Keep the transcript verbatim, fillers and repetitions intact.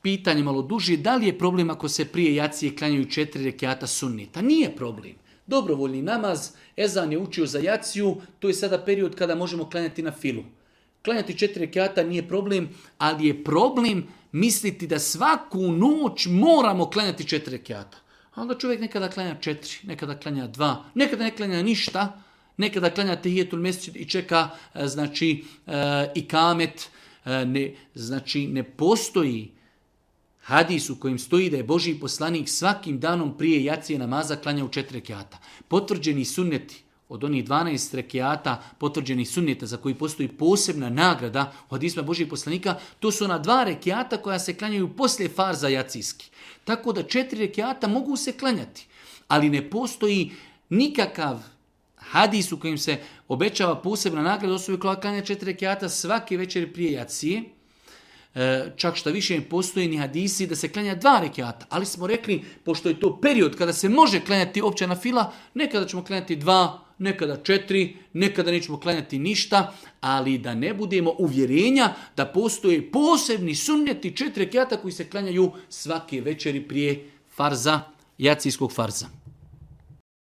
pitanje malo duže, da li je problem ako se prije jacije klanjaju četiri rekjata sunneta? Nije problem. Dobrovoljni namaz, ezan je učio za jaciju, to je sada period kada možemo klanjati na filu. Klanjati četiri rekjata nije problem, ali je problem misliti da svaku noć moramo klanjati četiri rekjata. A onda čovjek nekada klanja četiri, nekada klanja dva, nekada ne klanja ništa, nekada klanja tehijetul mesdžid i čeka, znači, i kamet. Ne, znači, ne postoji hadis u kojem stoji da je Božji poslanik svakim danom prije jacije namaza klanja u četiri rekjata. Potvrđeni sunneti od onih dvanaest rekjata, potvrđenih sunneta za koji postoji posebna nagrada u hadisma Božjih poslanika, to su ona dva rekjata koja se klanjaju poslije farza jacijski. Tako da četiri rekjata mogu se klanjati, ali ne postoji nikakav hadis u kojem se obećava posebna nagrada osobi koja klanja četiri rekjata svake večeri prije jacije. E, čak šta više postoji ni hadisi da se klanja dva rekjata, ali smo rekli, pošto je to period kada se može klanjati opća nafila, nekada ćemo klanjati dva, nekada četiri, nekada nećemo klanjati ništa, ali da ne budemo uvjerenja da postoje posebni sunneti četiri rekjata koji se klanjaju svake večeri prije farza, jacijskog farza.